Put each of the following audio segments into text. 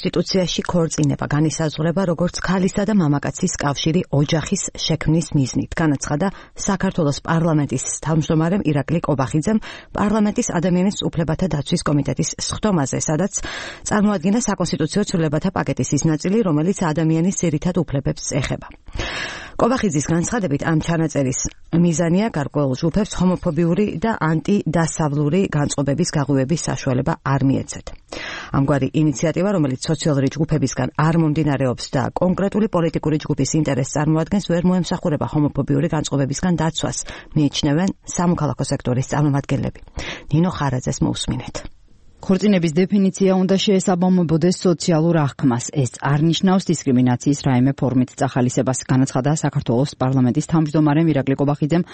კონსტიტუციაში ქორწინება განისაზღვრება როგორც ქალისა და მამაკაცის კავშირი ოჯახის შექმნის მიზნით. განაცხადა საქართველოს პარლამენტის თავმჯდომარემ ირაკლი კობახიძემ პარლამენტის ადამიანის უფლებათა დაცვის კომიტეტის სხდომაზე, სადაც წარმოადგინა საკონსტიტუციო ცვლილებათა პაკეტის ის ნაწილი, რომელიც ადამიანის ძირითად უფლებებს ეხება. კობახიძის განცხადებით ამ ჩანაწერის მიზანია გარკვეულ ჯგუფებს ჰომოფობიური და ანტიდასავლური განწყობების გაღვივების საშუალება არ მიეცეთ. ამგვარი ინიციატივა, რომელიც სოციალური ჯგუფებისგან არ მომდინარეობს და კონკრეტული პოლიტიკური ჯგუფის ინტერესს წარმოადგენს, ვერ მოემსახურება ჰომოფობიური განწყობებისგან დაცვას, მიიჩნევენ სამოქალაქო სექტორის წარმომადგენლები. ნინო ხარაძეს მოусმინეთ. ქორწინების დეფინიცია უნდა შეესაბამებოდეს სოციალურ აღქმას. ეს არ ნიშნავს დისკრიმინაციის რაიმე ფორმით წახალისებას, განაცხადა საქართველოს პარლამენტის თავმჯდომარემ ირაკლი კობახიძემ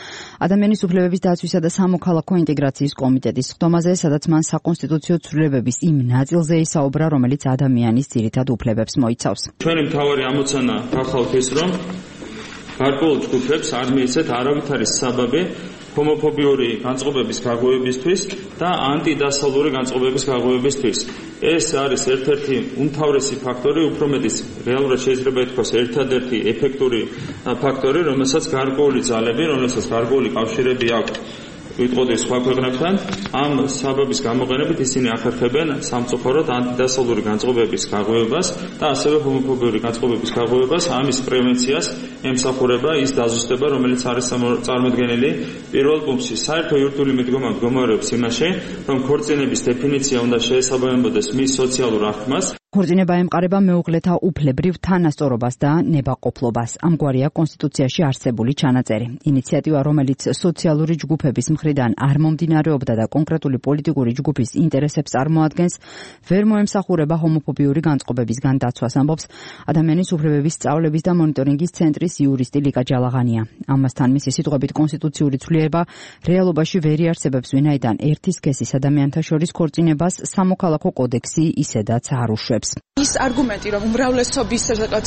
ადამიანის უფლებების დაცვისა და სამოქალაქო ინტეგრაციის კომიტეტის სხდომაზე, სადაც მან საკონსტიტუციო ცვლილებების იმ ნაწილზე ისაუბრა, რომელიც ადამიანის ძირითად უფლებებს მოიცავს. ჩვენი მთავარი ამოცანა გახავთ ის, რომ გარკვეულ ჯგუფებს არ მიეცეთ არავითარი საბაბი ჰომოფობიური განწყობების გაღვივებისთვის და ანტიდასავლური განწყობების გაღვივებისთვის. ეს არის ერთ-ერთი უმთავრესი ფაქტორი, უფრო მეტიც რეალურად შეიძლება ითქვას ერთადერთი ეფექტური ფაქტორი, რომელსაც გარკვეული ძალები, რომელსაც გარკვეული კავშირები აქვს ვიტყოდი სხვა ქვეყნებთან, ამ საბაბის გამოყენებით ისინი ახერხებენ სამწუხაროდ ანტიდასავლური განწყობების გაღვივებას და ასევე ჰომოფობიური განწყობების გაღვივებას, ამის პრევენციას ემსახურება ის დაზუსტება, რომელიც არის წარმოდგენილი პირველ პუნქტში. საერთო იურიდიული მიდგომა მდგომარეობს იმაში, რომ ქორწინების დეფინიცია უნდა შეესაბამებოდეს მის სოციალურ აღქმას. ქორწინება ემყარება მეუღლეთა უფლებრივ თანასწორობას და ნებაყოფლობას. ამგვარია კონსტიტუციაში არსებული ჩანაწერი. ინიციატივა, რომელიც სოციალური ჯგუფების მხრიდან არ მომდინარეობდა და კონკრეტული პოლიტიკური ჯგუფის ინტერესებს წარმოადგენს, ვერ მოემსახურება ჰომოფობიური განწყობებისგან დაცვას, ამბობს ადამიანის უფლებების სწავლების და მონიტორინგის ცენტრის იურისტი ლიკა ჯალაღანია. ამასთან მისი სიტყვებით კონსტიტუციური ცვლილება რეალობაში ვერ იარსებებს, ვინაიდან ერთი სქესის ადამიანთა შორის ქორწინებას სამოქალაქო კოდექსი ისედაც არ უშვებს. ის არგუმენტი, რომ უმრავლესობის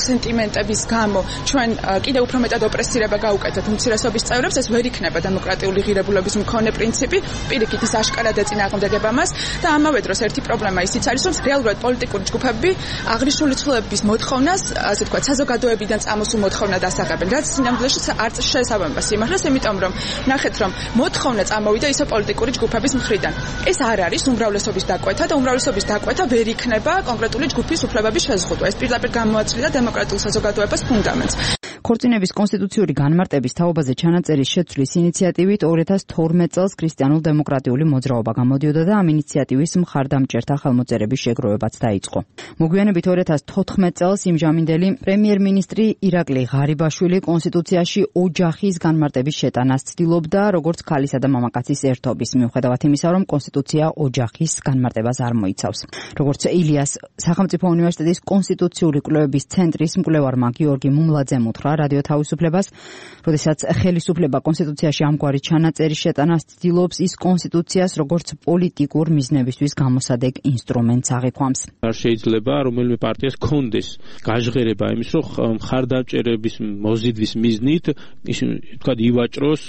სენტიმენტების გამო ჩვენ კიდევ უფრო მეტად ოპრესირება გაუკეთებთ უმცირესობის წევრებს, ეს ვერ იქნება დემოკრატიული ღირებულების მქონე პრინციპი. პირიქით ის აშკარად ეწინააღმდეგება მას და ამავე დროს ერთი პრობლემა ისიც არის, რომ რეალურად პოლიტიკური ჯგუფები აღნიშნული ცვლილებების მოთხოვნას, ასე ვთქვათ, საზოგადოებიდან წამოსულ მოთხოვნად ასაღებენ, რაც სინამდვილეში არ შეესაბამება სიმართლეს, იმიტომ რომ ნახეთ, რომ მოთხოვნა წამოვიდა ისე პოლიტიკური ჯგუფების მხრიდან. ეს არ არის უმრავლესობის დაკვეთა და უმრავლესობის დაკვეთა ვერ იქნება კონკრეტული ჯგუფის უფლებების შეზღუდვა. ეს პირდაპირ გამოაცვლიდა დემოკრატიულ საზოგადოებას ფუნდამენტს. ქორწინების კონსტიტუციური განმარტების თაობაზე ჩანაწერის შეცვლის ინიციატივით 2012 წელს ქრისტიანულ-დემოკრატიული მოძრაობა გამოდიოდა და ამ ინიციატივის მხარდამჭერთა ხელმოწერების შეგროვებაც დაიწყო. მოგვიანებით 2014 წელს იმჟამინდელი პრემიერ-მინისტრი ირაკლი ღარიბაშვილი კონსტიტუციაში ოჯახის განმარტების შეტანას ცდილობდა, როგორც ქალისა და მამაკაცის ერთობის, მიუხედავად იმისა, რომ კონსტიტუცია ოჯახის განმარტებას არ მოიცავს. როგორც ილიას სახელმწიფო უნივერსიტეტის კონსტიტუციური კვლევების ცენტრის მკვლევარმა გიორგი მუმლაძემ უთხრა რადიო თავისუფლებას, როდესაც ხელისუფლება კონსტიტუციაში ამგვარი ჩანაწერის შეტანას ცდილობს, ის კონსტიტუციას როგორც პოლიტიკურ მიზნებისთვის გამოსადეგ ინსტრუმენტს აღიქვამს. არ შეიძლება რომელიმე პარტიას კონდეს გაჟღერება იმის, რომ მხარდამჭერების მოზიდვის მიზნით თქვა ივაჭროს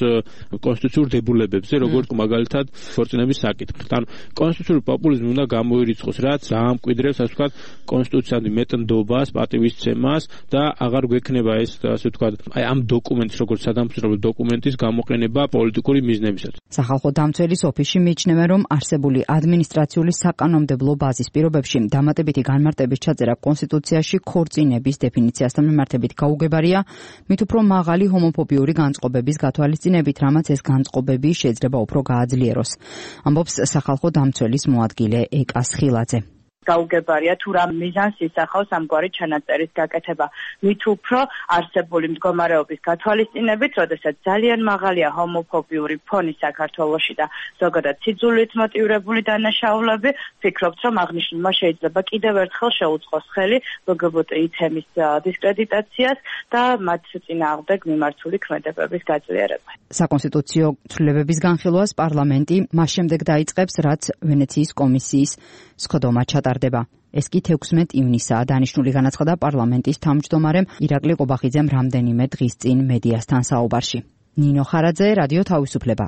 კონსტიტუციურ დებულებებზე, როგორც მაგალითად ქორწინების საკითხით. ანუ კონსტიტუციური პოპულიზმი უნდა გამოირიცხოს, რაც ამკვიდრებს, ასე ვთქვათ, კონსტიტუციამდე მეტნდობას, პატივისცემას და აღარ გვექნება ეს, ასე ვთქვათ, აი ამ დოკუმენტის, როგორც სადამსჯელო დოკუმენტის გამოყენება პოლიტიკური მიზნებისათვის. სახალხო დამცველის ოფისში მიიჩნევენ, რომ არსებული ადმინისტრაციული საკანონმდებლო ბაზის პირობებში დამატებითი განმარტების ჩაწერა კონსტიტუციაში ქორწინების დეფინიციასთან მიმართებით გაუგებარია, მით უფრო მაღალი ჰომოფობიური განწყობების გათვალისწინებით, რამაც ეს განწყობები შეიძლება უფრო გააძლიეროს. ამბობს სახალხო დამცველის მოადგილე ეკა სხილაძე. გაუგებარია თუ რა მიზანს ისახავს ამგვარი ჩანაწერის გაკეთება. მით უფრო არსებული მდგომარეობის გათვალისწინებით, როდესაც ძალიან მაღალია ჰომოფობიური ფონი საქართველოში და ზოგადად სიძულვით მოტივირებული დანაშაულები, ვფიქრობთ, რომ აღნიშნულმა შეიძლება კიდევ ერთხელ შეუწყოს ხელი ლგბტ-ი თემის დისკრედიტაციას და მათ წინააღმდეგ მიმართული ქმედებების გაძლიერებას. საკონსტიტუციო ცვლილებების განხილვას პარლამენტი მას შემდეგ დაიწყებს, რაც ვენეციის კომისიის სხდომა ჩატარდება. ეს კი 16 ივნისაა, დანიშნული განაცხადა პარლამენტის თავმჯდომარემ ირაკლი კობახიძემ რამდენიმე დღის წინ მედიასთან საუბარში. ნინო ხარაძე, რადიო თავისუფლება.